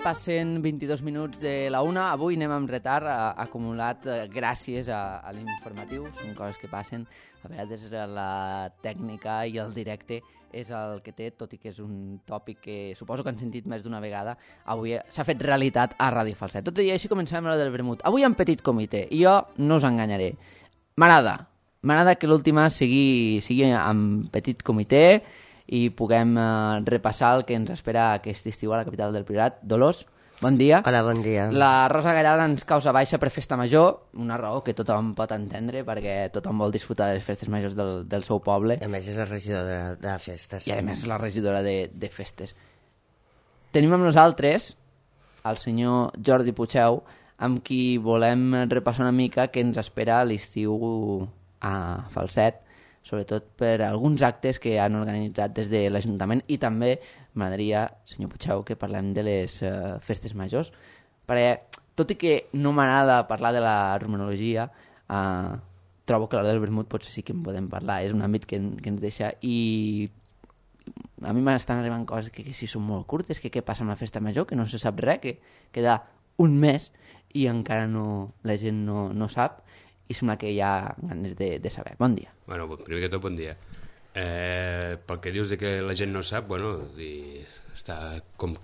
passen 22 minuts de la una. Avui anem amb retard, acumulat gràcies a l'informatiu. Són coses que passen. A vegades la tècnica i el directe és el que té, tot i que és un tòpic que suposo que han sentit més d'una vegada. Avui s'ha fet realitat a Ràdio Falset. Tot i així comencem amb la del vermut. Avui en petit comitè, i jo no us enganyaré. M'agrada que l'última sigui en petit comitè i puguem repassar el que ens espera aquest estiu a la capital del Priorat. Dolors, bon dia. Hola, bon dia. La Rosa Gallada ens causa baixa per festa major, una raó que tothom pot entendre perquè tothom vol disfrutar de les festes majors del seu poble. A més és la regidora de festes. I a més és la regidora de festes. Tenim amb nosaltres el senyor Jordi Pucheu, amb qui volem repassar una mica què ens espera l'estiu a Falset, sobretot per alguns actes que han organitzat des de l'Ajuntament, i també m'agradaria, senyor Pucheu, que parlem de les festes majors, perquè tot i que no m'agrada parlar de la romanologia, trobo que a l'hora del vermut potser sí que en podem parlar, és un àmbit que ens deixa, i a mi m'estan arribant coses que sí són molt curtes, que què passa amb la festa major, que no se sap res, que queda un mes i encara la gent no sap, i sembla que hi ha ganes de saber. Bon dia. Bueno, primer que tot, bon dia. Pel que dius de que la gent no sap, bueno, està com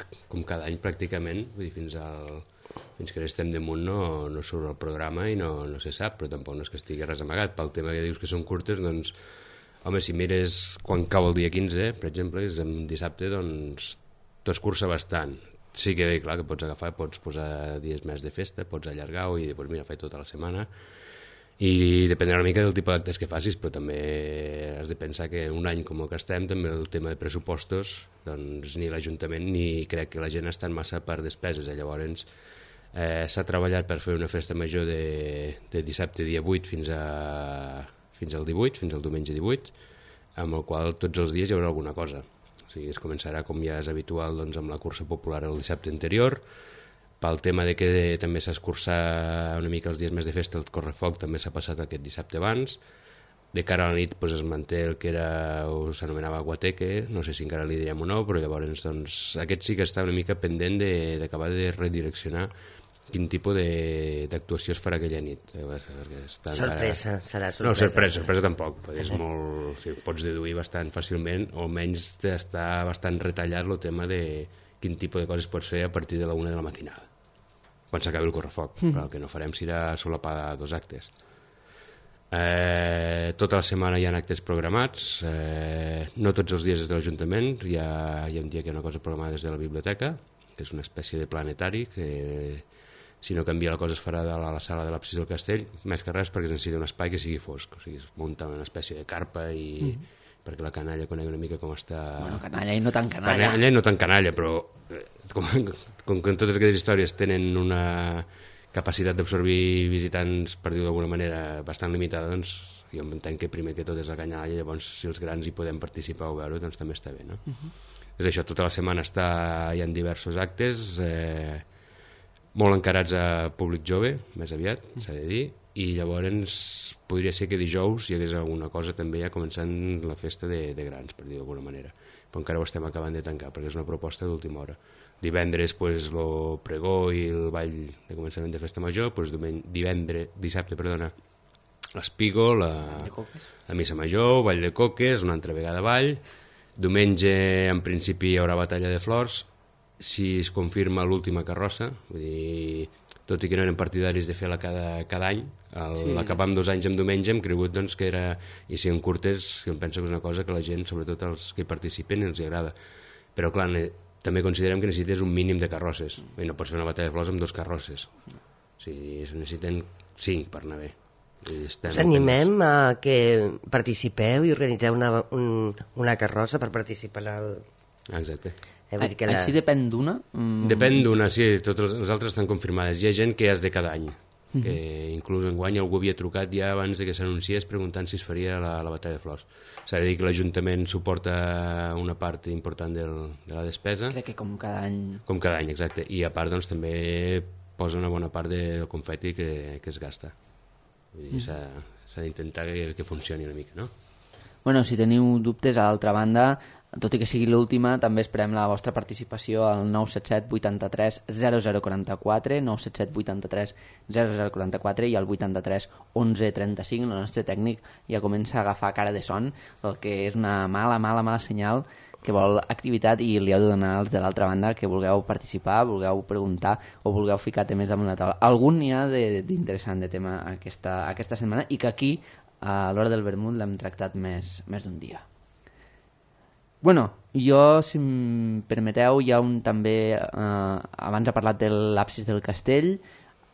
cada any pràcticament, vull dir, fins que estem damunt no surt el programa i no se sap, però tampoc no és que estigui res amagat. Pel tema que dius que són curtes, doncs, home, si mires quan cau el dia 15, per exemple, és un dissabte, doncs, tu escurça bastant. Sí que, clar, que pots agafar, pots posar dies més de festa, pots allargar-ho i doncs, mira, faig tota la setmana. I dependrà una mica del tipus d'actes que facis, però també has de pensar que un any com el que estem, també el tema de pressupostos, doncs ni l'Ajuntament ni crec que la gent estan massa per despeses. Llavors s'ha treballat per fer una festa major de dissabte dia 8 fins al 18, fins al diumenge 18, amb el qual tots els dies hi haurà alguna cosa. O sigui, es començarà, com ja és habitual, doncs, amb la cursa popular el dissabte anterior. Pel tema de que també s'ha escurçat una mica els dies més de festa, el correfoc també s'ha passat aquest dissabte abans. De cara a la nit doncs, es manté el que s'anomenava guateque, no sé si encara li direm o no, però llavors doncs, aquest sí que està una mica pendent d'acabar de redireccionar quin tipus d'actuació es farà aquella nit. Sorpresa, serà sorpresa. No, sorpresa tampoc. És molt, sí, pots deduir bastant fàcilment, o almenys està bastant retallat el tema de quin tipus de coses pots fer a partir de la 1 de la matinada, quan s'acabi el correfoc. Però el que no farem serà solapar 2 actes. Tota la setmana hi ha actes programats, no tots els dies des de l'Ajuntament, hi ha un dia que hi ha una cosa programada des de la biblioteca, que és una espècie de planetari, que si no canvia la cosa es farà de la sala de l'absis del castell, més que res perquè es necessita un espai que sigui fosc, o sigui, es munta una espècie de carpa i perquè la canalla conegui una mica com està... Bueno, canalla i no tan canalla. Canalla i no tan canalla, però com que en totes aquestes històries tenen una capacitat d'absorbir visitants, per dir-ho d'alguna manera, bastant limitada, doncs jo entenc que primer que tot és la canalla, i llavors si els grans hi podem participar o veure, doncs també està bé, no? És això, tota la setmana hi ha diversos actes, molt encarats a públic jove, més aviat, s'ha de dir, i llavors podria ser que dijous hi hagués alguna cosa també ja començant la festa de grans, per dir d'alguna manera, però encara ho estem acabant de tancar perquè és una proposta d'última hora. Divendres el pregó i el ball de començament de festa major, dissabte l'Espigo, la missa major, ball de coques, una altra vegada ball. Diumenge en principi hi haurà batalla de flors, si es confirma l'última carrossa, vull dir, tot i que no eren partidaris de fer-la cada any, l'acabar amb 2 anys en diumenge hem cregut doncs, que era, i si en curtes, em penso que és una cosa que la gent, sobretot els que hi participen, els agrada. Però clar, també considerem que necessites un mínim de carrosses, i no pots fer una batalla de flors amb 2 carrosses. O sigui, es necessiten 5 per anar bé. Us animem a que participeu i organitzeu una carrossa per participar al... Exacte. Així depèn d'una? Depèn d'una, sí, totes les altres estan confirmades. Hi ha gent que és de cada any, que inclús enguany algú havia trucat ja abans de que s'anunciés preguntant si es faria la batalla de flors. S'ha de dir que l'Ajuntament suporta una part important de la despesa. Crec que com cada any. Com cada any, exacte. I a part doncs, també posa una bona part del confeti que es gasta. Vull dir, s'ha d'intentar que funcioni una mica, no? Bueno, si teniu dubtes, a l'altra banda, tot i que sigui l'última, també esperem la vostra participació al 977 83 0044, 977 83 0044 i al 83 11 35. El nostre tècnic ja comença a agafar cara de son, el que és una mala senyal, que vol activitat, i li heu de donar als de l'altra banda que vulgueu participar, vulgueu preguntar o vulgueu ficar temes damunt la taula. Algun n'hi ha d'interessant de tema aquesta setmana, i que aquí, a l'hora del vermut, l'hem tractat més d'un dia. Bueno, jo, si em permeteu, hi ha també, abans ha parlat de l'absis del castell,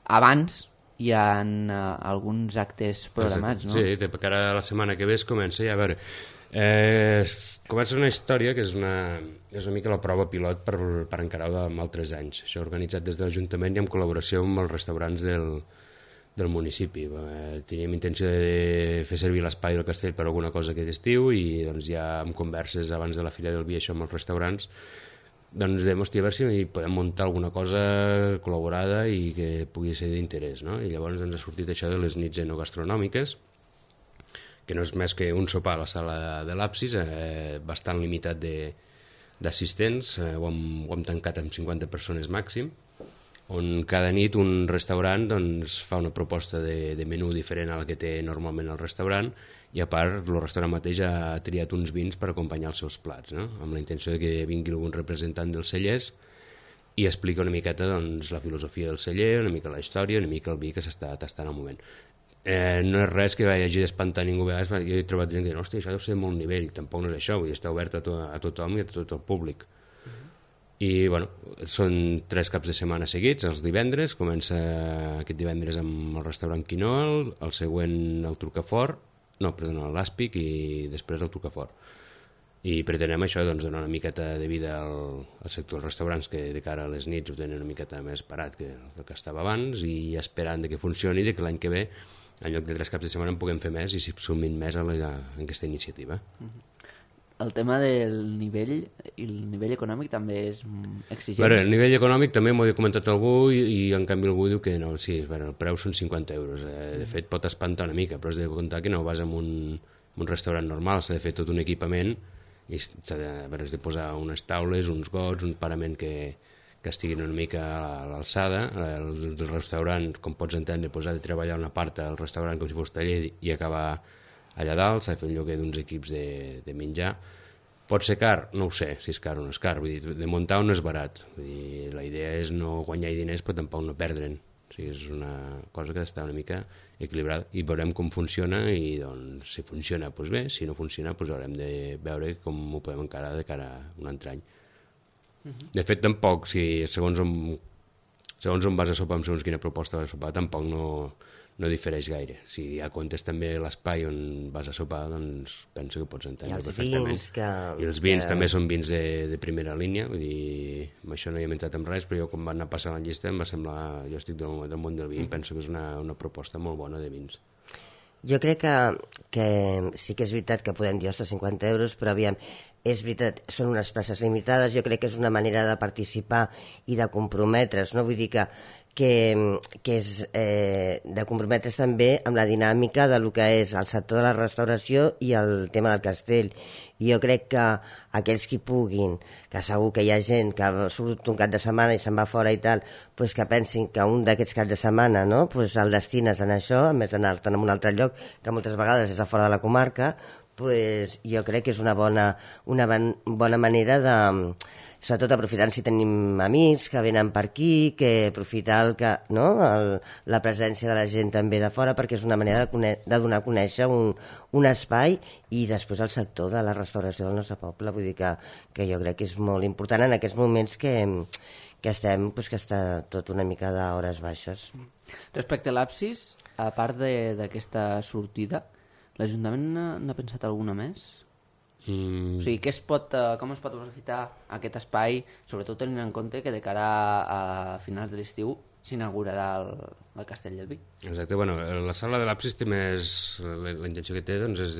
abans hi ha alguns actes programats, no? Sí, perquè ara la setmana que ve es comença, ja a veure, comença una història que és una mica la prova pilot per encarar-ho amb altres anys. Això organitzat des de l'Ajuntament i en col·laboració amb els restaurants del municipi. Teníem intenció de fer servir l'espai del castell per alguna cosa aquest estiu, i doncs ja amb converses abans de la Fira del Vi, això amb els restaurants, doncs vam a veure si podem muntar alguna cosa col·laborada i que pugui ser d'interès, no? I llavors ens ha sortit això de les nits enogastronòmiques, que no és més que un sopar a la sala de l'Absis, bastant limitat d'assistents, ho hem tancat amb 50 persones màxim, on cada nit un restaurant doncs, fa una proposta de menú diferent a la que té normalment el restaurant, i a part el restaurant mateix ha triat uns vins per acompanyar els seus plats, no? Amb la intenció de que vingui algun representant dels cellers i explica una miqueta doncs, la filosofia del celler, una mica la història, una mica el vi que s'està tastant al moment. No és res que hagi d'espantar ningú. A vegades jo he trobat gent que diu, hòstia, això deu ser de molt nivell. Tampoc no és això, vull dir, està obert a tothom i a tot el públic. I bueno, són 3 caps de setmana seguits. Els divendres, comença aquest divendres amb el restaurant Quinol, el següent el Trucafort, l'Àspic, i després el Trucafort. I pretenem això, doncs, donar una miqueta de vida al sector dels restaurants, que de cara a les nits ho tenen una miqueta més parat que el que estava abans, i esperant que funcioni, i que l'any que ve, en lloc de 3 caps de setmana, en puguem fer més i s'hi sumin més en aquesta iniciativa. El tema del nivell i el nivell econòmic també és exigent. El nivell econòmic també m'ho ha comentat algú, i en canvi algú diu que no, sí, el preu són 50 euros. De fet pot espantar una mica, però has de comptar que no vas a un restaurant normal, s'ha de fer tot un equipament, i has de posar unes taules, uns gots, un parament que estiguin una mica a l'alçada. El restaurant, com pots entendre, ha de treballar una part al restaurant com si fos taller i acabar allà dalt, s'ha de fer un lloguer d'uns equips de menjar. Pot ser car? No ho sé, si és car o no és car. Vull dir, de muntar no és barat. Vull dir, la idea és no guanyar diners, però tampoc no perdre'n. O sigui, és una cosa que està una mica equilibrada, i veurem com funciona, i doncs, si funciona, doncs bé, si no funciona, doncs haurem de veure com ho podem encarar de cara a un altre any. De fet, tampoc, si segons on vas a sopar, amb segons quina proposta vas a sopar, tampoc no difereix gaire. Si ja comptes també l'espai on vas a sopar, doncs penso que pots entendre perfectament. I els vins també són vins de primera línia, vull dir, amb això no hi hem entrat en res, però jo quan van anar passant la llista em va semblar, jo estic del món del vi, penso que és una proposta molt bona de vins. Jo crec que sí que és veritat que podem dir, ostres, 50 euros, però aviam, és veritat, són unes places limitades, jo crec que és una manera de participar i de comprometre's, no? Vull dir que és de comprometre's també amb la dinàmica de lo que és el sector de la restauració i el tema del castell. I jo crec que aquells que puguin, que segur que hi ha gent que surt un cap de setmana i se'n va fora i tal, pues que pensin que un d'aquests caps de setmana, no? Pues el destines en això, a més d'anar-te'n a un altre lloc, que moltes vegades és a fora de la comarca, pues jo crec que és una bona manera de, sobretot aprofitant si tenim amics que venen per aquí, que aprofitar la presència de la gent també de fora, perquè és una manera de donar a conèixer un espai, i després el sector de la restauració del nostre poble. Vull dir que jo crec que és molt important en aquests moments que estem, que està tot una mica d'hores baixes. Respecte a l'Absis, a part d'aquesta sortida, l'Ajuntament n'ha pensat alguna més? O sigui, com es pot aprofitar aquest espai, sobretot tenint en compte que de cara a finals de l'estiu s'inaugurarà el Castell del Vi? Exacte, bueno, la sala de l'Absis té més, la intenció que té doncs, és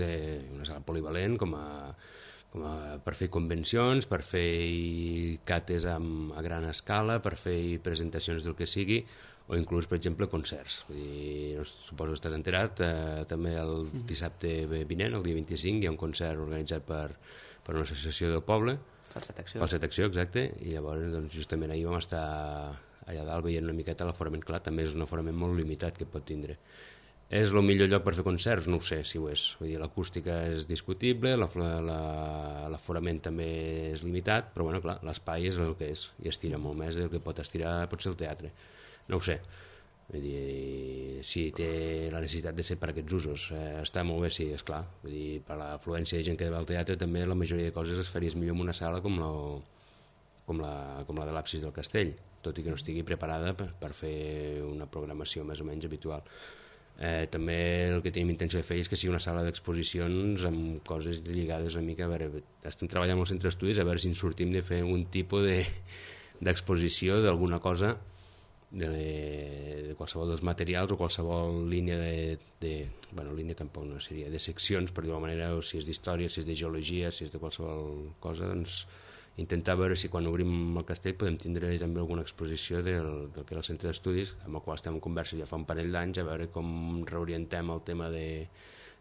una sala polivalent per fer convencions, per fer cates a gran escala, per fer presentacions del que sigui, o inclús, per exemple, concerts. Vull dir, suposo que estàs enterat, també el dissabte vinent, el dia 25, hi ha un concert organitzat per per una associació del poble, Falset Acció, exacte, i llavors doncs, justament ahir vam estar allà dalt veient una miqueta l'aforament. Clar, també és un aforament molt limitat que pot tindre. És el millor lloc per fer concerts? No ho sé si ho és. Vull dir, l'acústica és discutible, l'aforament també és limitat, però bueno, clar, l'espai és el que és i estira molt més del que pot estirar potser el teatre. No ho sé. Vull dir, si té la necessitat de ser per aquests usos, està molt bé, sí, és clar. Vull dir, per l'afluència de gent que va al teatre també la majoria de coses es faries millor en una sala com la de l'Absis del Castell, tot i que no estigui preparada per fer una programació més o menys habitual. També el que tenim intenció de fer és que sigui una sala d'exposicions amb coses lligades una mica, a veure, estem treballant amb el centre d'estudis a veure si ens sortim de fer un tipus d'exposició d'alguna cosa de qualsevol dels materials o qualsevol línia línia tampoc no seria, de seccions, per dir-ho manera, o si és d'història, si és de geologia, si és de qualsevol cosa, doncs intentar veure si quan obrim el castell podem tindre també alguna exposició del que era el centre d'estudis, amb el qual estem en conversa ja fa un parell d'anys, a veure com reorientem el tema de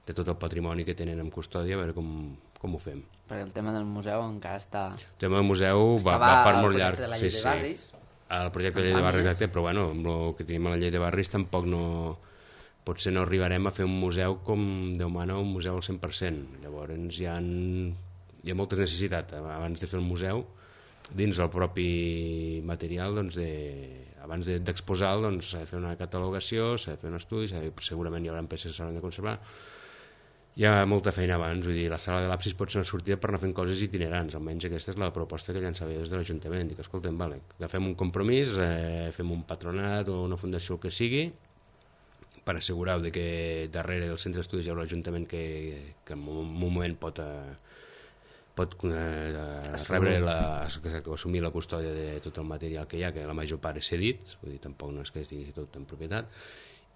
tot el patrimoni que tenen en custòdia, a veure com ho fem. Perquè el tema del museu encara està... El tema del museu va per molt llarg. El projecte de la llei de barris. El projecte de la llei de barris, exacte, però bueno, amb el que tenim a la llei de barris tampoc potser no arribarem a fer un museu com Déu mana, un museu al 100%. Llavors hi ha moltes necessitats abans de fer el museu, dins el propi material, doncs abans d'exposar-lo, doncs s'ha de fer una catalogació, s'ha de fer un estudi, segurament hi haurà peces que s'hauran de conservar. Hi ha molta feina abans, vull dir, la sala de l'Absis pot ser una sortida per anar fent coses itinerants, almenys aquesta és la proposta que llançava des de l'Ajuntament, dic, escolta'm, vale, agafem un compromís, fem un patronat o una fundació, el que sigui, per assegurar que darrere del centre d'estudis hi haurà l'Ajuntament que en un moment pot assumir la custòdia de tot el material que hi ha, que la major part és cedit, vull dir, tampoc no és que estigui tot en propietat,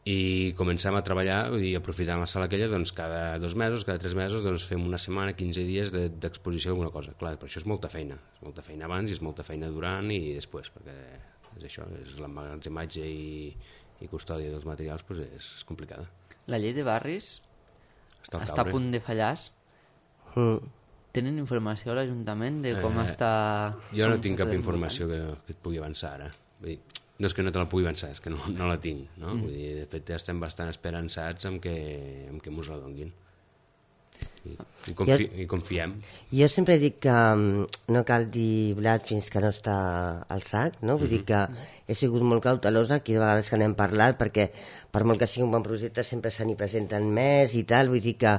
i comencem a treballar, vull dir, aprofitant la sala aquella, doncs cada 2 mesos, cada 3 mesos, doncs fem una setmana, 15 dies d'exposició d'alguna cosa. Clar, per això és molta feina abans i és molta feina durant i després, perquè és això, és l'emmagatzematge i custòdia dels materials, doncs és complicada. La llei de barris està a punt de fallar. Tenen informació a l'Ajuntament de com està... Jo no tinc cap informació que et pugui avançar ara. Vull dir, no és que no te la pugui avançar, és que no la tinc, no? Vull dir, de fet estem bastant esperançats en que mos la donguin i confiem. Jo sempre dic que no cal dir blat fins que no està al sac, no? Vull dir que he sigut molt cautelosa aquí de vegades que n'hem parlat, perquè per molt que sigui un bon projecte sempre se n'hi presenten més i tal, vull dir que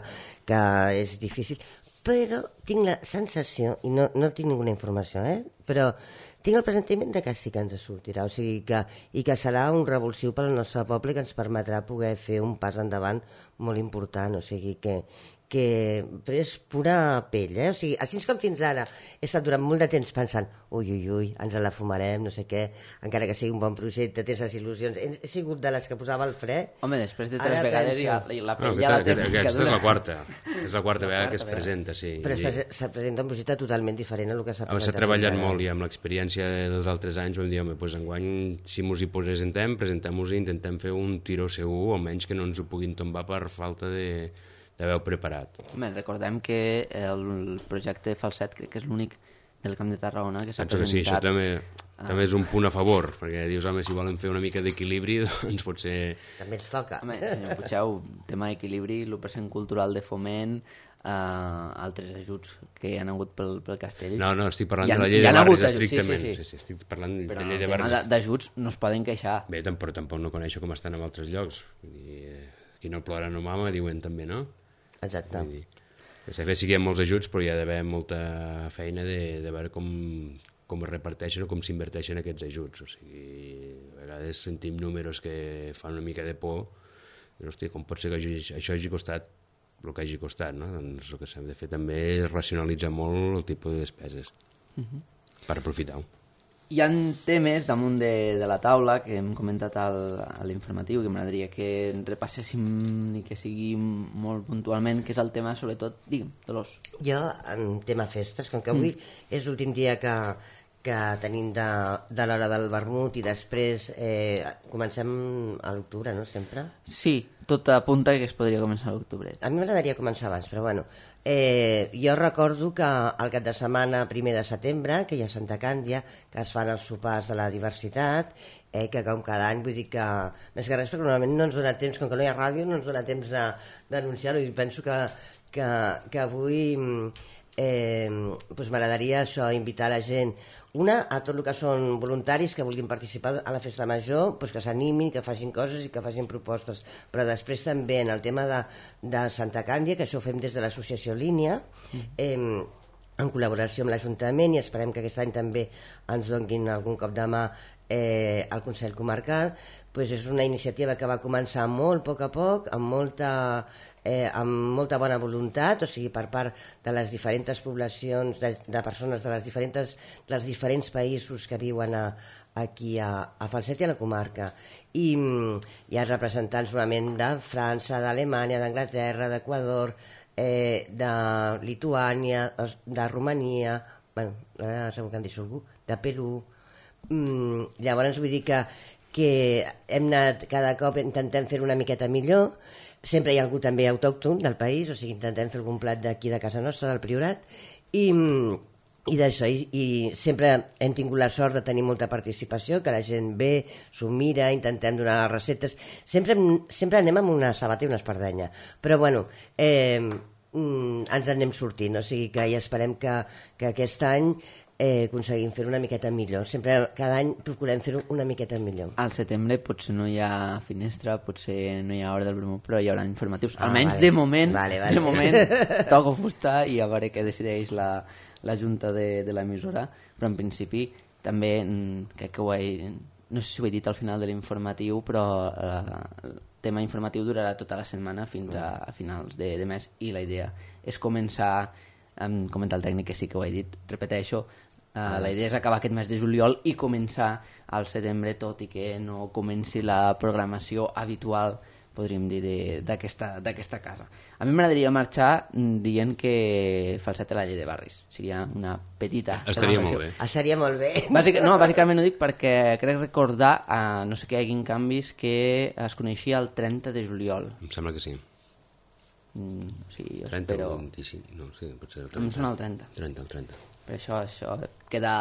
és difícil, però tinc la sensació, i no tinc ninguna informació, però tinc el presentiment de que sí que ens sortirà, o sigui que serà un revulsiu pel nostre poble que ens permetrà poder fer un pas endavant molt important, o sigui que però és pura pell, o sigui, així com fins ara he estat durant molt de temps pensant ui, ens la fumarem, no sé què, encara que sigui un bon projecte, tens les il·lusions, he sigut de les que posava el fre. Home, després de 3 vegades la pell ja la té. Aquesta és la quarta vegada que es presenta, sí. Però se presenta un projecte totalment diferent a el que s'ha presentat. S'ha treballat molt i amb l'experiència dels altres anys vam dir, home, doncs enguany si mos hi presentem-nos i intentem fer un tiró segur, almenys que no ens ho puguin tombar per falta d'haver-ho preparat. Recordem que el projecte Falset crec que és l'únic del Camp de Tarragona que s'ha presentat. Sí, això també és un punt a favor, perquè dius, home, si volen fer una mica d'equilibri, doncs potser... També ens toca. Home, senyor Puigdeu, tema d'equilibri, l'1% cultural de foment, altres ajuts que hi ha hagut pel castell. No, estic parlant de la llei de barris estrictament. Sí, estic parlant de la llei de barris. Però el tema d'ajuts no es poden queixar. Bé, però tampoc no coneixo com estan en altres llocs. Qui no plora no mama, diuen també, no? Exacte. De fet, sí que hi ha molts ajuts, però hi ha d'haver molta feina de veure com es reparteixen o com s'inverteixen aquests ajuts. O sigui, a vegades sentim números que fan una mica de por. Però, hòstia, com pot ser que això hagi costat el que hagi costat, no? Doncs el que s'ha de fer també és racionalitzar molt el tipus de despeses per aprofitar-ho. Hi ha temes damunt de la taula que hem comentat a l'informatiu que m'agradaria que repasséssim i que sigui molt puntualment, que és el tema, sobretot, digue'm, Dolors. Jo, en tema festes, com que avui és l'últim dia que que tenim de l'hora del vermut, i després comencem a l'octubre, no, sempre? Sí, tot apunta que es podria començar a l'octubre. A mi m'agradaria començar abans, però bueno. Jo recordo que el cap de setmana 1 de setembre, que hi ha Santa Càndia, que es fan els sopars de la diversitat, que com cada any, vull dir que, més que res, perquè normalment no ens dona temps, com que no hi ha ràdio, no ens dona temps d'anunciar-ho, i penso que avui doncs m'agradaria això, invitar la gent, a tot el que són voluntaris que vulguin participar a la festa major, doncs que s'animin, que facin coses i que facin propostes, però després també en el tema de Santa Càndia, que això ho fem des de l'associació Línia, en col·laboració amb l'Ajuntament, i esperem que aquest any també ens donin algun cop de mà al Consell Comarcal. Doncs és una iniciativa que va començar molt a poc, amb molta bona voluntat, o sigui, per part de les diferents poblacions, de persones dels diferents països que viuen aquí a Falset i a la comarca. I hi ha representants normalment de França, d'Alemanya, d'Anglaterra, d'Equador, de Lituània, de Romania, bueno, segur que em deixo algú, de Perú. Llavors vull dir que hem anat cada cop intentem fer una miqueta millor. Sempre hi ha algú també autòcton del país, o sigui, intentem fer algun plat d'aquí de casa nostra, del Priorat, i d'això, i sempre hem tingut la sort de tenir molta participació, que la gent ve, s'ho mira, intentem donar les receptes, sempre anem amb una sabata i una espardenya, però bueno, ens anem sortint, o sigui que ja esperem que aquest any aconseguim fer una miqueta millor. Sempre, cada any procurem fer una miqueta millor. Al setembre potser no hi ha finestra, potser no hi ha hora del vermut, però hi haurà informatius. Almenys de moment, de moment toco fusta i a veure què decideix la junta de l'emissora, però en principi també crec que no sé si ho he dit al final de l'informatiu, però el tema informatiu durarà tota la setmana fins a finals de mes, i la idea és començar, comenta el tècnic que sí que ho he dit, repeteixo, la idea és acabar aquest mes de juliol i començar al setembre, tot i que no comenci la programació habitual, podríem dir, d'aquesta casa. A mi m'agradaria marxar dient que Falset té la llei de barris. Seria una petita... Estaria molt bé. Seria molt bé. Bàsicament ho dic perquè crec recordar, no sé què hi hagin canvis, que es coneixia el 30 de juliol. Em sembla que sí. Sí, 30 o 25, no, sí, potser el 30. Em sona el 30. 30. Per això queda...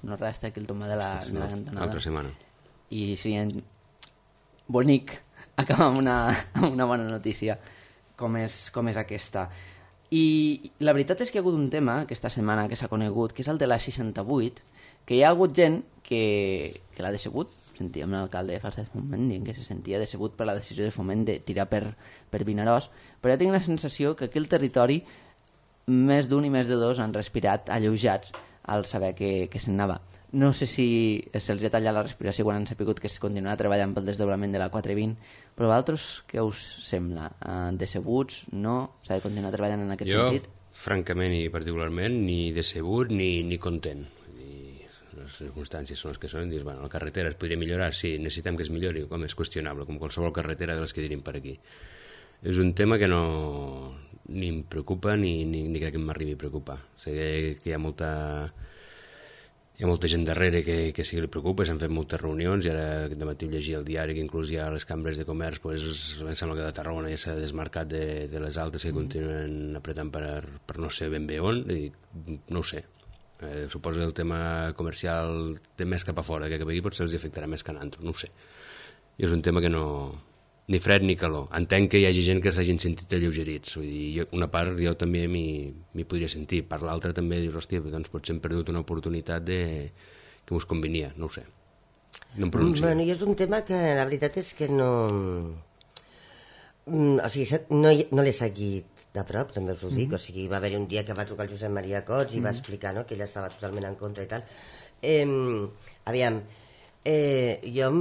No resta aquí el tomar de la cantonada. L'altra setmana. I seria bonic acabar amb una bona notícia com és aquesta. I la veritat és que hi ha hagut un tema aquesta setmana que s'ha conegut, que és el de la 68, que hi ha hagut gent que l'ha decebut. Sentíem l'alcalde de Falset Foment dient que se sentia decebut per la decisió de Foment de tirar per Vinaròs, però ja tinc la sensació que aquí al territori més d'un i més de dos han respirat alleujats al saber que se'n anava. No sé si se'ls ha tallat la respiració quan han sapigut que es continuarà treballant pel desdoblament de la 420, però vosaltres què us sembla? Decebuts? No? S'ha de continuar treballant en aquest sentit? Jo, francament i particularment, ni decebut ni content. Les circumstàncies són les que són, dius, bueno, la carretera es podria millorar, sí, necessitem que es millori, com és qüestionable, com qualsevol carretera de les que tenim per aquí. És un tema que ni em preocupa ni crec que m'arribi a preocupar. Sé que hi ha molta gent darrere que sí que li preocupa, s'han fet moltes reunions, i ara aquest matí llegia el diari que inclús ja les cambres de comerç, em sembla que de Tarragona ja s'ha desmarcat de les altres que continuen apretant per no sé ben bé on, i no ho sé. Suposo que el tema comercial té més cap a fora, que cap aquí potser els afectarà més que a nantro, no ho sé. I és un tema que no... ni fred ni calor. Entenc que hi hagi gent que s'hagin sentit alleugerits, vull dir, una part jo també m'hi podria sentir, per l'altra també dius, hòstia, doncs potser hem perdut una oportunitat que us convenia, no ho sé. No em pronuncio. Bueno, i és un tema que la veritat és que no... O sigui, no l'he seguit de prop, també us ho dic, o sigui, va haver-hi un dia que va trucar el Josep Maria Cots i va explicar, no?, que ella estava totalment en contra i tal. Aviam, jo em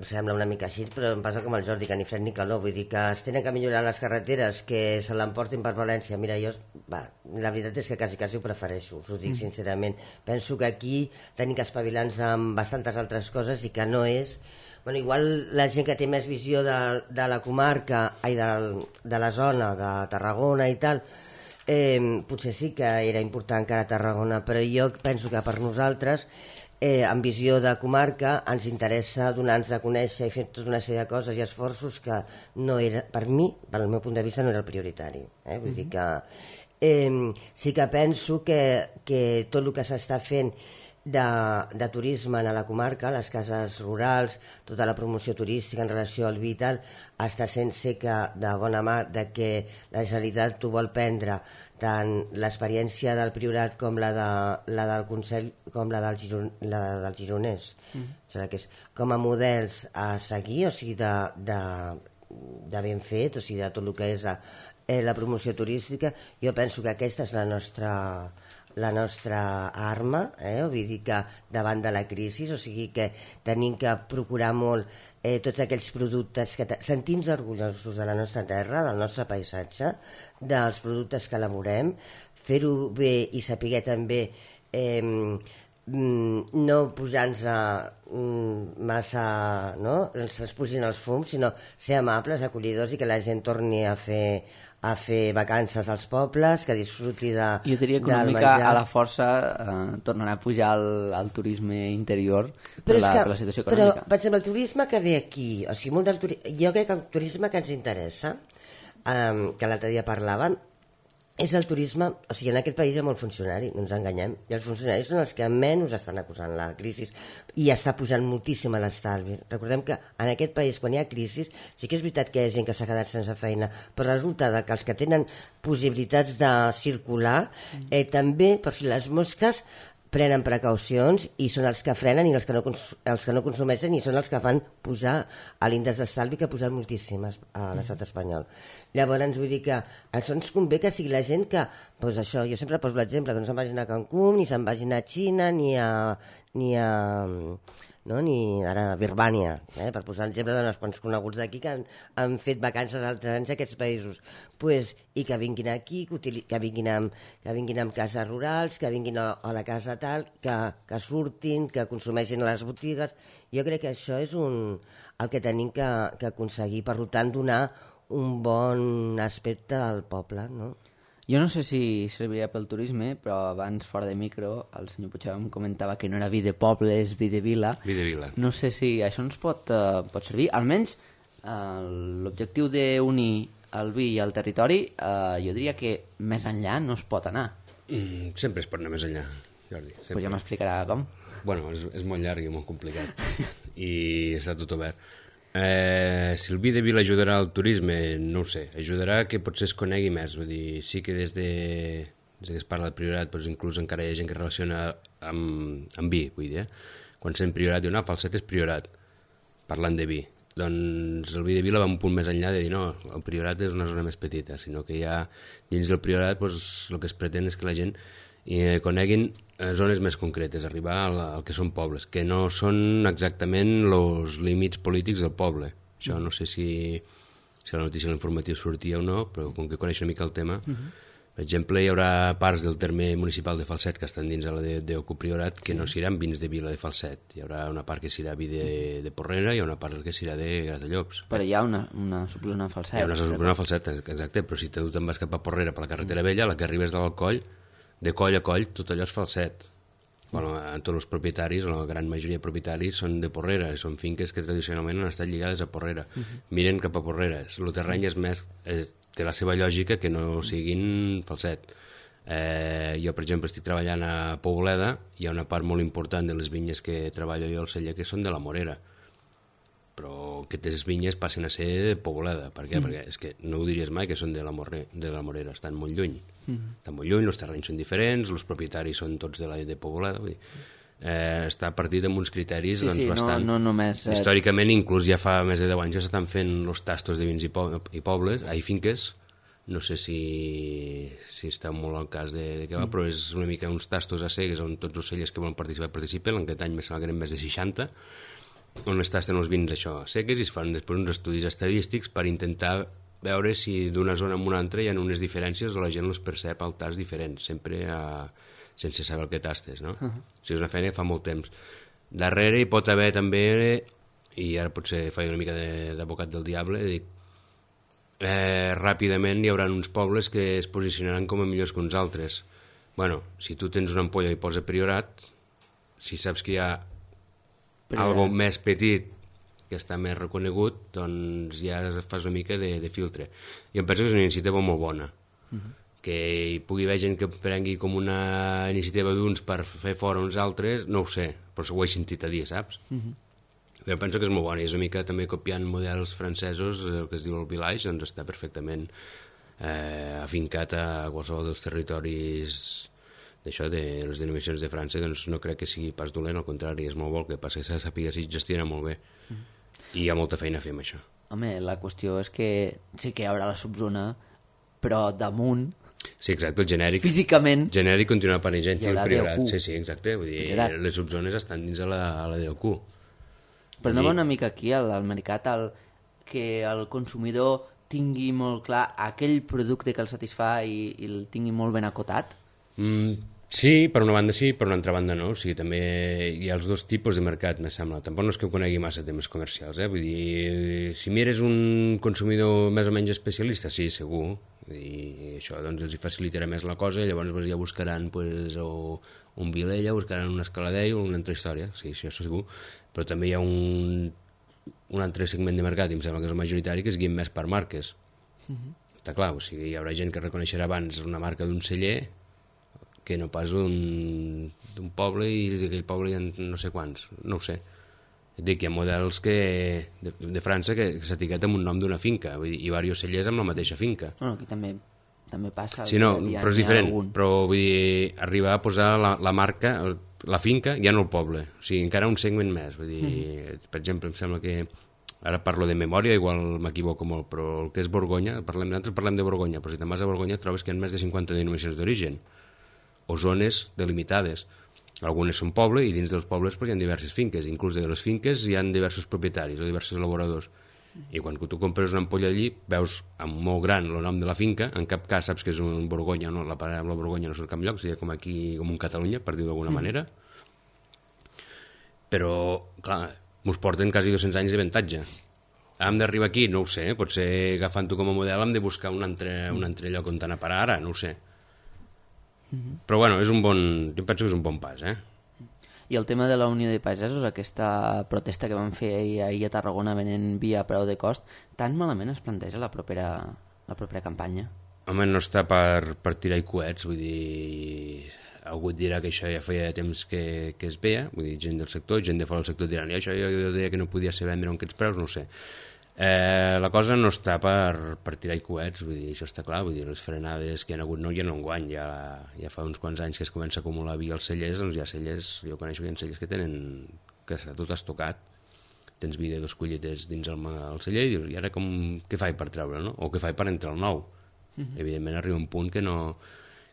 sembla una mica així, però em passa com el Jordi, que ni fred ni calor, vull dir que es tenen que millorar les carreteres, que se l'emportin per València. Mira, jo, la veritat és que quasi ho prefereixo, us ho dic sincerament. Penso que aquí tenim que espavilar-nos amb bastantes altres coses i que no és... Bueno, igual la gent que té més visió de la comarca, de la zona, de Tarragona i tal, Potser sí que era important que ara a Tarragona, però jo penso que per nosaltres, en visió de comarca, ens interessa donar-nos a conèixer i fer tota una sèrie de coses i esforços que no era, per mi, pel meu punt de vista, no era el prioritari. Vull dir que sí que penso que tot el que s'està fent de turisme a la comarca, les cases rurals, tota la promoció turística en relació al vi i tal, està sent seca de bona mà de que la Generalitat t'ho vol prendre tant l'experiència del Priorat com la del Consell com la del Gironès. O sigui, que és com a models a seguir, o sigui, de ben fet, o sigui, de tot el que és la promoció turística. Jo penso que aquesta és la nostra arma, vull dir que davant de la crisi, o sigui que tenim que procurar molt tots aquells productes que sentim-nos orgullosos de la nostra terra, del nostre paisatge, dels productes que elaborem, fer-ho bé i saber també no posar-nos massa, no? Es pusin els fums, sinó ser amables, acollidors i que la gent torni a fer vacances als pobles, que disfruti del menjar. Jo diria que una mica a la força tornarà a pujar el turisme interior per la situació econòmica. Però, per exemple, el turisme que ve aquí, o sigui, jo crec que el turisme que ens interessa, que l'altre dia parlàvem, és el turisme, o sigui, en aquest país hi ha molt funcionari, no ens enganyem, i els funcionaris són els que menys estan acusant la crisi i està posant moltíssim a l'estalvi. Recordem que en aquest país, quan hi ha crisi, sí que és veritat que hi ha gent que s'ha quedat sense feina, però resulta que els que tenen possibilitats de circular també, per si les mosques, prenen precaucions i són els que frenen i els que no consumeixen i són els que fan pujar a l'índex d'estalvi, que ha posat moltíssimes a l'estat espanyol. Llavors vull dir que això ens convé que sigui la gent que, doncs això, jo sempre poso l'exemple, que no se'n vagin a Cancún, ni se'n vagin a Xina, ni ara a Birmània, per posar l'exemple d'uns quants coneguts d'aquí que han fet vacances altres anys a aquests països, i que vinguin aquí, que vinguin amb cases rurals, que vinguin a la casa tal, que surtin, que consumeixin a les botigues. Jo crec que això és el que tenim que aconseguir, per tant donar un bon aspecte al poble, no? Jo no sé si serviria pel turisme, però abans, fora de micro, el senyor Puigdemont em comentava que no era vi de poble, és vi de vila. Vi de vila. No sé si això ens pot servir. Almenys l'objectiu d'unir el vi i el territori, jo diria que més enllà no es pot anar. Sempre es pot anar més enllà, Jordi. Pues ja m'explicarà com. Bueno, és molt llarg i molt complicat. I està tot obert. Si el vi de vila ajudarà al turisme, no ho sé, ajudarà que potser es conegui més, vull dir, sí que des que es parla de Priorat, doncs inclús encara hi ha gent que relaciona amb vi, vull dir, quan sent Priorat diu, no, Falset és Priorat, parlant de vi, doncs el vi de vila va un punt més enllà de dir, no, el Priorat és una zona més petita, sinó que ja dins del Priorat doncs, el que es pretén és que la gent coneguin zones més concretes, arribar al que són pobles, que no són exactament els límits polítics del poble. Això no sé si la notícia de l'informatiu sortia o no, però com que coneix una mica el tema, per exemple, hi haurà parts del terme municipal de Falset que estan dins de la d'Ocupriorat que no seran vins de vila de Falset. Hi haurà una part que serà vi de Porrera i una part que serà de Gratallops. Però hi ha una subzona Falset. Hi ha una subzona Falset, exacte, però si tu te'n vas cap a Porrera per la carretera vella, la que arribes de l'Alcoll, de coll a coll, tot allò és Falset. Bueno, tots els propietaris, la gran majoria de propietaris, són de Porrera, són finques que tradicionalment han estat lligades a Porrera. Miren cap a Porrera. El terreny és més, té la seva lògica que no siguin Falset. Jo, per exemple, estic treballant a Poboleda, hi ha una part molt important de les vinyes que treballo jo al celler que són de la Morera. Però aquestes vinyes passen a ser de Poboleda. Per què? Perquè és que no ho diries mai que són de la Morera, estan molt lluny. Estan molt lluny, els terrenys són diferents, els propietaris són tots de Poboleda. Vull dir, està partit amb uns criteris bastant... No només... Històricament, inclús ja fa més de 10 anys ja s'estan fent els tastos de vins i pobles, hi finques, no sé si està molt al cas de què va, però és una mica uns tastos a cegues on tots els cellers que volen participar participen, en aquest any me sembla que eren més de 60, on es tasten els vins això seques i es fan després uns estudis estadístics per intentar veure si d'una zona a una altra hi ha unes diferències o la gent els percep al tast diferents, sempre sense saber el que tastes, no? O sigui, és una feina que fa molt temps. Darrere hi pot haver també, i ara potser faig una mica d'advocat del diable, dic, ràpidament hi haurà uns pobles que es posicionaran com a millors que uns altres. Bueno, si tu tens una ampolla i posa Priorat, si saps que hi ha algo més petit que està més reconegut, doncs ja fas una mica de filtre. Jo em penso que és una iniciativa molt bona. Que hi pugui haver gent que prengui com una iniciativa d'uns per fer fora uns altres, no ho sé, però ho he sentit a dir, saps? Jo penso que és molt bona, i és una mica també copiant models francesos, el que es diu el village, doncs està perfectament afincat a qualsevol dels territoris d'això, de les denominacions de França, doncs no crec que sigui pas dolent, al contrari, és molt bo, que passa que s'ha de saber si gestiona molt bé. I hi ha molta feina a fer amb això. Home, la qüestió és que sí que hi haurà la subzona, però damunt... Sí, exacte, el genèric... Físicament... Genèric continua parant gent, hi haurà Priorat. DOQ. Sí, exacte, vull dir, les subzones estan dins a la DOQ. Però no va una mica aquí al mercat que el consumidor tingui molt clar aquell producte que el satisfà i el tingui molt ben acotat? Sí, per una banda sí, per una altra banda no. O sigui, també hi ha els dos tipus de mercat, me sembla. Tampoc no és que conegui massa temes comercials, Vull dir, si mires un consumidor més o menys especialista, sí, segur. I això doncs els hi facilitarà més la cosa, i llavors ja buscaran pues, o un Vilella, buscaran un Escaladell o una altra història, sí, això segur. Però també hi ha un altre segment de mercat, i em sembla que és el majoritari, que es guien més per marques. Està clar, o sigui, hi haurà gent que reconeixerà abans una marca d'un celler que no pas d'un poble, i d'aquell poble hi ha no sé quants, no ho sé. Dic, hi ha models de França que s'etiqueta amb un nom d'una finca, vull dir, i diversos cellers amb la mateixa finca. Bueno, aquí també passa. Sí, no, però és diferent. Però vull dir, arribar a posar la marca, la finca, ja no el poble. O sigui, encara un segment més. Vull dir, per exemple, em sembla que ara parlo de memòria, igual m'equivoco molt, però el que és Borgonya, nosaltres parlem de Borgonya, però si te'n vas a Borgonya trobes que hi ha més de 50 denominacions d'origen, o zones delimitades. Algunes són poble, i dins dels pobles hi ha diverses finques. Inclús de les finques hi ha diversos propietaris o diversos elaboradors. I quan tu compres una ampolla allí, veus amb molt gran el nom de la finca, en cap cas saps que és un Borgonya, no? La paraula Borgonya no surt en cap lloc, seria com aquí, com un Catalunya, per dir-ho d'alguna manera. Però, clar, mos porten quasi 200 anys d'avantatge. Hem d'arribar aquí? No ho sé, potser agafant-ho com a model hem de buscar un altre lloc on anar a parar ara, no ho sé. Però bueno, jo penso que és un bon pas, I el tema de la Unió de Pagesos, aquesta protesta que van fer ahir a Tarragona venent vi a preu de cost, tan malament es planteja la propera campanya? Home, no està per tirar coets, vull dir, algú et dirà que això ja feia temps que es veia, vull dir, gent del sector, gent de fora del sector diran, això jo deia que no podia ser vendre amb aquests preus, no ho sé. La cosa no està per tirar coets, vull dir, això està clar, vull dir, les frenades que hi ha hagut no hi ha enguany, ja fa uns quants anys que es comença a acumular vi als cellers, doncs hi ha cellers, jo coneixo que hi ha cellers que està tot estocat, tens vi de 2 colletes dins el celler i dius, i ara què faig per treure, no? O què faig per entrar al nou? Evidentment arriba un punt que no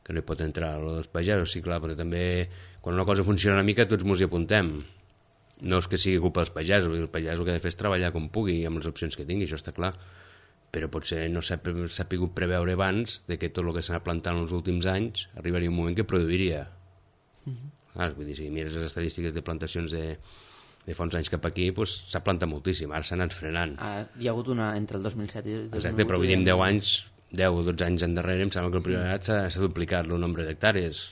hi pot entrar el dels pagesos, sí, clar, però també quan una cosa funciona una mica tots mos hi apuntem. No és que sigui culpa dels pagesos, el pagès el que ha de fer és treballar com pugui amb les opcions que tingui, això està clar, però potser no s'ha pogut preveure abans de que tot el que s'ha plantat en els últims anys arribaria un moment que produiria. Vull dir, si mires les estadístiques de plantacions de fa uns anys cap aquí, doncs s'ha plantat moltíssim, ara s'ha anat frenant. Hi ha hagut una entre el 2007 i el 2008. Exacte, però vull dir, en 10 o 12 anys endarrere, em sembla que el Priorat s'ha duplicat el nombre d'hectàrees.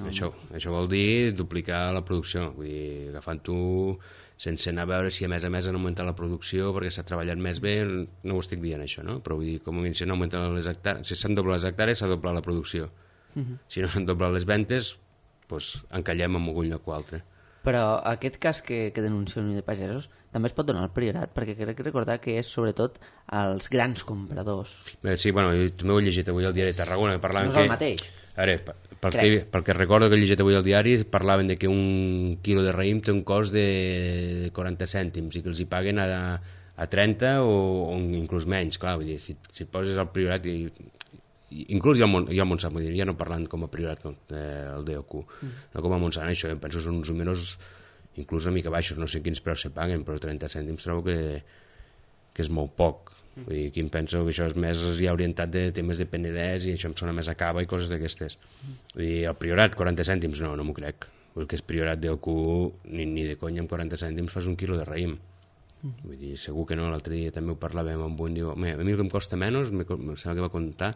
Això vol dir duplicar la producció, vull dir, agafant-ho sense anar a veure si a més han augmentat la producció perquè s'ha treballat més bé, no ho estic dient això, no? Però vull dir, com a mínim si no augmenten les hectàrees, si s'han doblat les hectàrees s'ha doblat la producció. Si no s'han doblat les ventes, doncs encallem en algun lloc o altre. Però aquest cas que denuncia Unió de Pagesos també es pot donar al Priorat, perquè crec recordar que és sobretot als grans compradors. Sí, bueno, jo també ho he llegit avui al diari de Tarragona, que parlaven no és el mateix. A veure, pel que recordo que he llegit avui al diari, parlaven de que un quilo de raïm té un cost de 40 cèntims i que els hi paguen a 30 o inclús menys, clar, vull dir, si poses al Priorat inclús hi ha el Montsant, vull dir, ja no parlant com a Priorat, el DOQ, no com a Montsant, això, em penso que són uns números inclús una mica baixos, no sé quins preus se paguen, però 30 cèntims trobo que és molt poc. Vull dir, aquí em penso que això és més ja orientat de temes de penedès i això em sona més a cava i coses d'aquestes. Vull dir, el Priorat, 40 cèntims, no m'ho crec. El que és Priorat DOQ, ni de conya amb 40 cèntims fas un quilo de raïm. Vull dir, segur que no, l'altre dia també ho parlàvem amb un, diu, a mi el que em costa menys, em sembla que va comptar,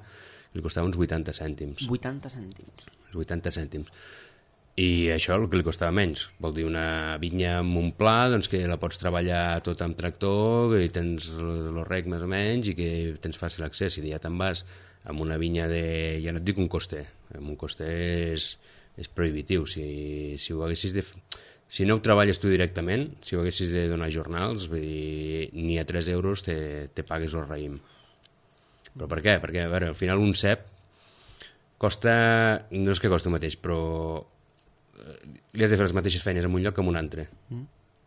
li costava uns 80 cèntims. 80 cèntims. 80 cèntims. I això el que li costava menys. Vol dir, una vinya amb un pla, doncs que la pots treballar tot amb tractor, i tens el rec més o menys, i que tens fàcil accés. Si ja te'n vas amb una vinya de... Ja no et dic un coster. Amb un coster és prohibitiu. Si ho haguessis de... Si no ho treballes tu directament, si ho haguessis de donar jornals, vull dir, ni a 3 euros te pagues el raïm. Però per què? Perquè, a veure, al final un cep costa... No és que costi el mateix, però li has de fer les mateixes feines en un lloc que en un altre.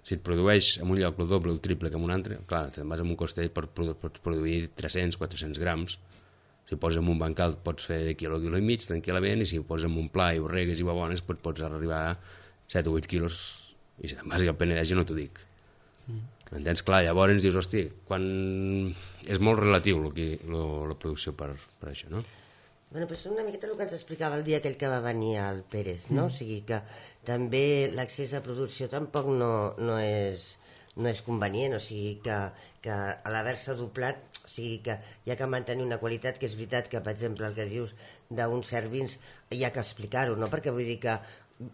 Si et produeix en un lloc el doble o el triple que en un altre, clar, te'n vas amb un coster i pots produir 300-400 grams. Si ho poses en un bancal pots fer quilo i mig tranquil·lament, i si ho poses en un pla i ho regues i va bones, pots arribar a 7 o 8 quilos, i si te'n vas al Penedès ja no t'ho dic. Entens? Clar, llavors dius, hosti, quan... és molt relatiu la producció per això, no? Bueno, pues una miqueta el que ens explicava el dia aquell que va venir al Pérez, no? O sigui que també l'accés a producció tampoc no és convenient, o sigui que a l'haver-se doblat, o sigui que hi ha que mantenir una qualitat, que és veritat que, per exemple, el que dius d'uns certs vins hi ha que explicar-ho, no? Perquè vull dir que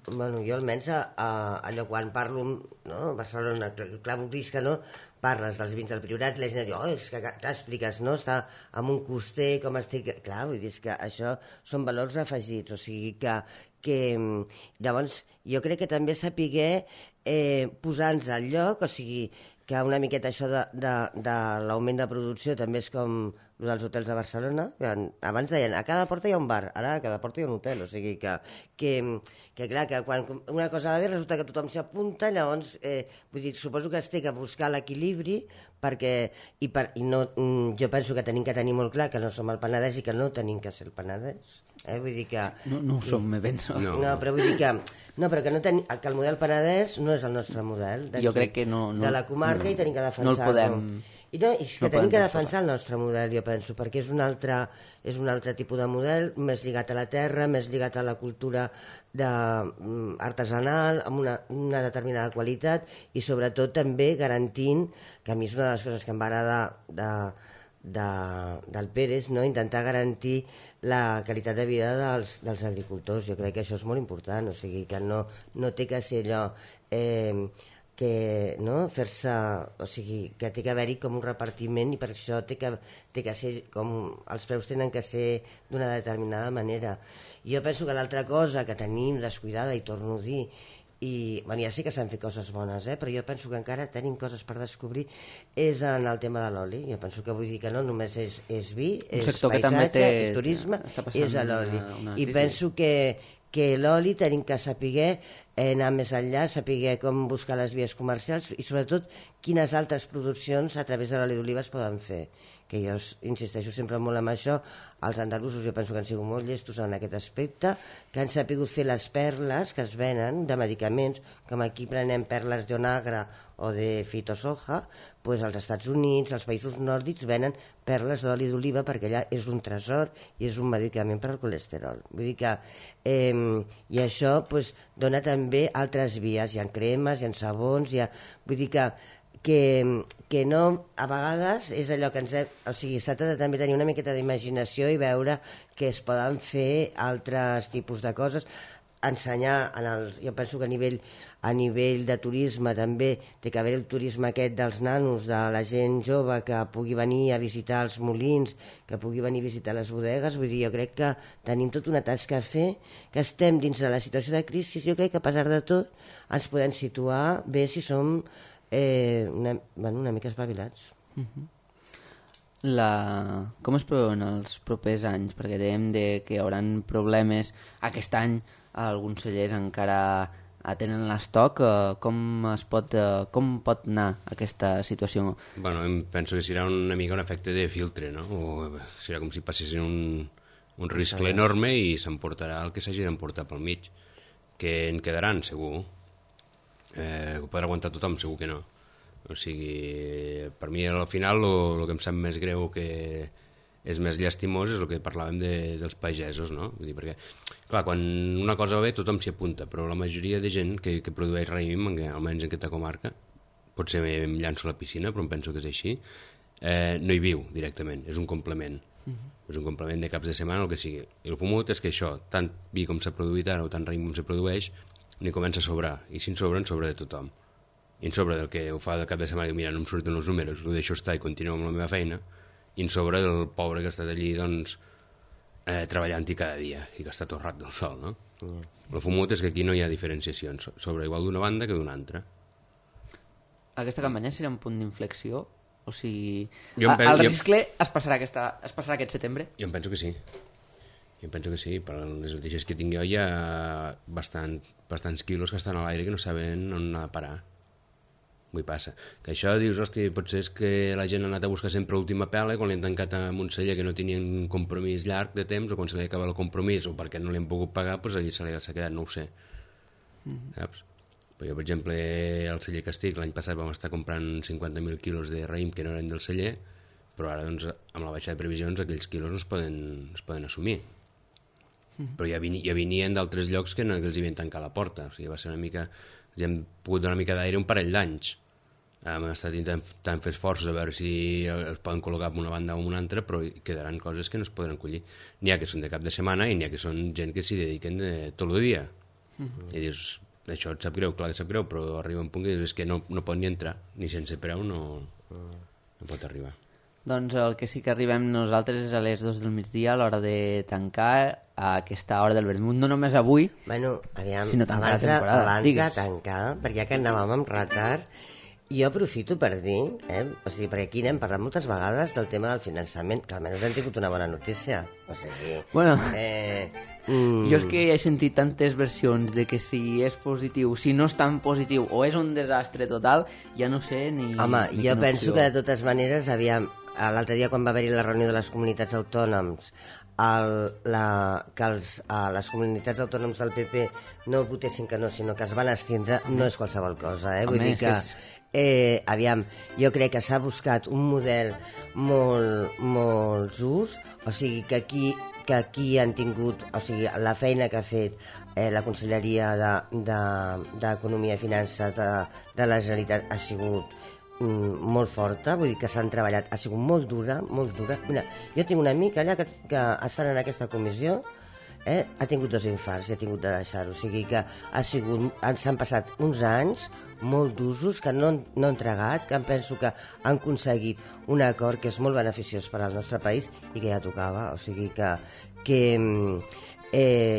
bueno, jo almenys allò quan parlo, no? A Barcelona, clar, vist que no, parles dels vins del Priorat, la gent diu, és que clar, expliques, no? Està amb un coster, com estic... Clar, vull dir que això són valors afegits, o sigui que llavors jo crec que també sapiguer posar-nos al lloc, o sigui que una miqueta això de l'augment de producció també és com el dels hotels de Barcelona, que abans deien a cada porta hi ha un bar, ara a cada porta hi ha un hotel, o sigui que clar, que quan una cosa va bé resulta que tothom s'hi apunta, llavors vull dir, suposo que es té que buscar l'equilibri perquè, jo penso que tenim que tenir molt clar que no som el Penedès i que no tenim que ser el Penedès, vull dir que... No ho som, me penso. No, però vull dir que... No, però que el model Penedès no és el nostre model. Jo crec que no... De la comarca i tenim que defensar-lo. No el podem... I és que tenim que defensar el nostre model, jo penso, perquè és un altre tipus de model, més lligat a la terra, més lligat a la cultura artesanal, amb una determinada qualitat, i sobretot també garantint, que a mi és una de les coses que em va agradar del Pérez, no? Intentar garantir la qualitat de vida dels agricultors. Jo crec que això és molt important, o sigui que no té que ser allò que no? Fer-se, o sigui que té que haver-hi com un repartiment, i per això té que ser com els preus tenen que ser d'una determinada manera. Jo penso que l'altra cosa que tenim descuidada, i torno a dir, i bueno, ja sé que s'han fet coses bones, però jo penso que encara tenim coses per descobrir, és en el tema de l'oli. Jo penso que vull dir que no només és vi, és paisatge, és turisme, és l'oli. I penso que l'oli tenim que saber anar més enllà, saber com buscar les vies comercials i sobretot quines altres produccions a través de l'oli d'oliva es poden fer. Que jo insisteixo sempre molt en això. Els andalusos jo penso que han sigut molt llestos en aquest aspecte, que han sabut fer les perles que es venen de medicaments, com aquí prenem perles d'onagra o de fitosoja, doncs als Estats Units, als països nòrdics, venen perles d'oli d'oliva perquè allà és un tresor i és un medicament per al colesterol. Vull dir que i això dona també altres vies, hi ha cremes, hi ha sabons, vull dir que no, a vegades és allò que o sigui, s'ha de també tenir una miqueta d'imaginació i veure que es poden fer altres tipus de coses, ensenyar, jo penso que a nivell de turisme també té que haver el turisme aquest dels nanos, de la gent jove que pugui venir a visitar els molins, que pugui venir a visitar les bodegues. Vull dir, jo crec que tenim tota una tasca a fer, que estem dins de la situació de crisi. Jo crec que a pesar de tot ens podem situar bé si som una mica espavilats. Com es preveuen els propers anys? Perquè dèiem que hi haurà problemes aquest any, alguns cellers encara tenen l'estoc. Com pot anar aquesta situació? Bueno, penso que serà una mica un efecte de filtre, no? O serà com si passessin un risc enorme i s'emportarà el que s'hagi d'emportar pel mig. Que en quedaran, segur. Ho podrà aguantar tothom, segur que no. O sigui, per mi al final el que em sap més greu, que és més llastimós, és el que parlàvem dels pagesos, no? Vull dir, perquè, clar, quan una cosa va bé tothom s'hi apunta, però la majoria de gent que produeix raïm, almenys en aquesta comarca, potser em llanço a la piscina, però em penso que és així, no hi viu directament, és un complement. És un complement de caps de setmana o el que sigui. I el fumut és que això, tant vi com s'ha produït ara o tant raïm com se produeix, n'hi comença a sobrar, i si en sobra de tothom. I en sobre del que ho fa de cap de setmana i mira, no em surten els números, ho deixo estar i continuo amb la meva feina, i en sobre del pobre que ha estat allí doncs, treballant-hi cada dia i que està tot rat del sol, no? El fumut és que aquí no hi ha diferenciacions, sobre igual d'una banda que d'una altra. Aquesta campanya serà un punt d'inflexió? O sigui, el riscle es passarà aquest setembre? Jo em penso que sí. Per les notícies que tinc jo hi ha bastants quilos que estan a l'aire que no saben on anar a parar. Vull passa. Que això dius, hosti, potser és que la gent ha anat a buscar sempre l'última pela i quan l'han tancat a un celler que no tenien un compromís llarg de temps o quan se li acaba el compromís o perquè no li han pogut pagar, doncs allí s'ha quedat, no ho sé. Saps? Però jo, per exemple, al celler que estic, l'any passat vam estar comprant 50.000 quilos de raïm que no eren del celler, però ara, doncs, amb la baixada de previsions, aquells quilos no es poden assumir. Però ja venien d'altres llocs que els havien tancat la porta. O sigui, va ser una mica... Ja hem pogut donar una mica d'aire un parell d'anys. Hem estat intentant fer esforços a veure si es poden col·locar en una banda o en una altra, però quedaran coses que no es podran collir. N'hi ha que són de cap de setmana i n'hi ha que són gent que s'hi dediquen tot el dia. I dius... Això et sap greu, clar que sap greu, però arriba un punt que dius que no pot ni entrar, ni sense preu no pot arribar. Doncs el que sí que arribem nosaltres és a les 2 del migdia, a l'hora de tancar, a aquesta hora del vermut, no només avui, aviam, sinó tancar la temporada. Abans de tancar, perquè ja que anàvem amb retard, jo aprofito per dir, o sigui, perquè aquí n'hem parlat moltes vegades del tema del finançament, que almenys hem tingut una bona notícia. O sigui... Bueno, jo és que he sentit tantes versions de que si és positiu, si no és tan positiu, o és un desastre total, ja no sé ni... Home, ni jo penso que de totes maneres, aviam, l'altre dia quan va haver-hi la reunió de les comunitats autònoms, que les comunitats autònoms del PP no votessin que no, sinó que es van estendre, no és qualsevol cosa, Vull dir que... aviam, jo crec que s'ha buscat un model molt just, o sigui que aquí han tingut, o sigui, la feina que ha fet la Conselleria d'Economia i Finances de la Generalitat ha sigut molt forta, vull dir que s'han treballat, ha sigut molt dura. Mira, jo tinc un amic allà que estant en aquesta comissió ha tingut 2 infarts i ha tingut de deixar-ho, o sigui que s'han passat uns anys molt d'usos que no han tragat, que penso que han aconseguit un acord que és molt beneficiós per al nostre país i que ja tocava, o sigui que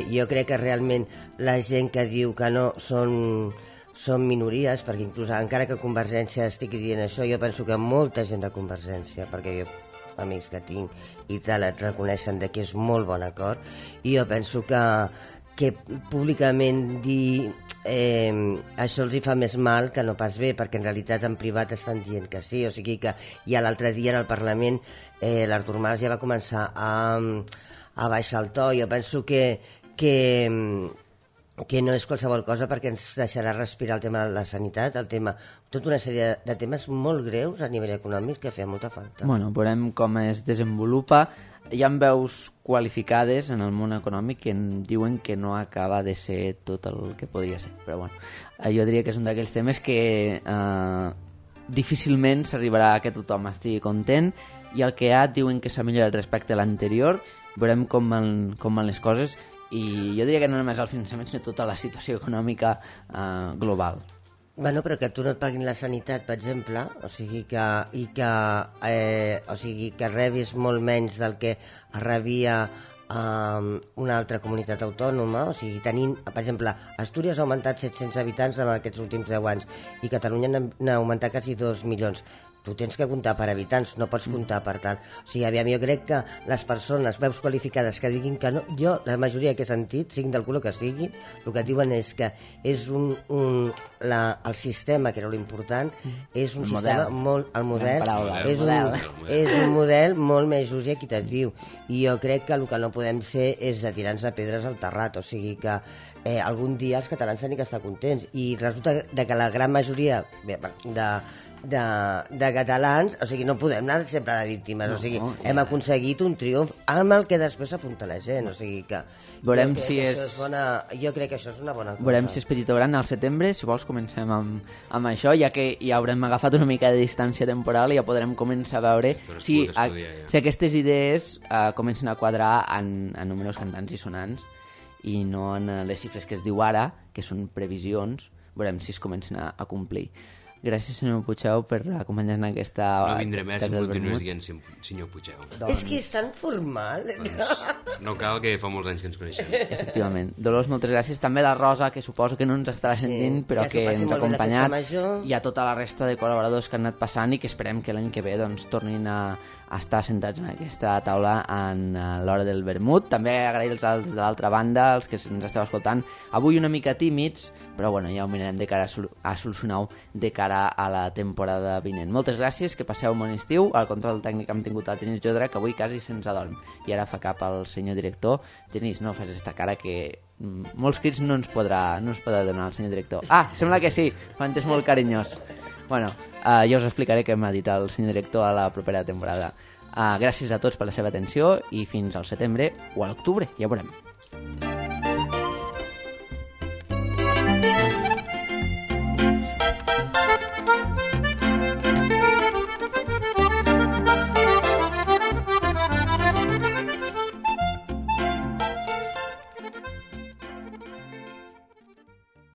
jo crec que realment la gent que diu que no són minories, perquè inclús encara que Convergència estigui dient això, jo penso que molta gent de Convergència, perquè jo amics que tinc i tal et reconeixen que és molt bon acord, i jo penso que públicament dir això els hi fa més mal que no pas bé, perquè en realitat en privat estan dient que sí, o sigui que ja l'altre dia en el Parlament l'Artur Mas ja va començar a baixar el to. Jo penso que no és qualsevol cosa perquè ens deixarà respirar el tema de la sanitat, tota una sèrie de temes molt greus a nivell econòmic que feia molta falta. Bueno, veurem com es desenvolupa. Hi ha veus qualificades en el món econòmic que diuen que no acaba de ser tot el que podria ser, però bueno, jo diria que és un d'aquells temes que difícilment s'arribarà a que tothom estigui content, i el que ha diuen que s'ha millorat respecte a l'anterior. Veurem com van les coses, i jo diria que no només el finançament, sinó tota la situació econòmica global. Bueno, però que tu no et paguin la sanitat, per exemple, o sigui que rebis molt menys del que rebia una altra comunitat autònoma, o sigui, tenint, per exemple, Astúries ha augmentat 700 habitants en aquests últims 10 anys i Catalunya n'ha augmentat quasi 2 milions. Tu tens que comptar per habitants, no pots comptar per tant. O sigui, aviam, jo crec que les persones, veus qualificades que diguin que no, jo, la majoria que he sentit, siguin del color que sigui, el que diuen és que és el sistema, que era l'important, és un sistema molt... El model. És un model molt més just i equitatiu. I jo crec que el que no podem ser és de tirar-nos pedres al terrat, o sigui que algun dia els catalans tenen que estar contents. I resulta que la gran majoria de catalans, o sigui, no podem anar sempre de víctimes, o sigui, hem aconseguit un triomf amb el que després s'apunta la gent, o sigui que Veurem si jo crec que això és una bona cosa. Veurem si és petit o gran al setembre, si vols comencem amb això, ja que ja haurem agafat una mica de distància temporal i ja podrem començar a veure si aquestes idees comencen a quadrar en números cantants i sonants i no en les xifres que es diu ara, que són previsions. Veurem si es comencen a complir. Gràcies, senyor Puigdeu, per acompanyar-nos en aquesta... No vindré més si em continues dient senyor Puigdeu. És que és tan formal. Doncs no cal, que fa molts anys que ens coneixem. Efectivament. Dolors, moltes gràcies. També la Rosa, que suposo que no ens estarà sentint, però que ens ha acompanyat. I a tota la resta de col·laboradors que han anat passant i que esperem que l'any que ve doncs, tornin a estar sentats en aquesta taula en l'hora del vermut. També agrair als de l'altra banda, els que ens esteu escoltant. Avui una mica tímids, però bueno, ja ho mirarem de cara a solucionar-ho de cara a la temporada vinent. Moltes gràcies, que passeu un bon estiu. Al control tècnic hem tingut el Genís Jodra, que avui quasi se'ns adorm. I ara fa cap al senyor director. Genís, no fes esta cara que molts crits no ens podrà donar el senyor director. Ah, sembla que sí, quan és molt carinyós. Bueno, ja us explicaré què m'ha dit el senyor director a la propera temporada. Gràcies a tots per la seva atenció i fins al setembre o a l'octubre, ja veurem.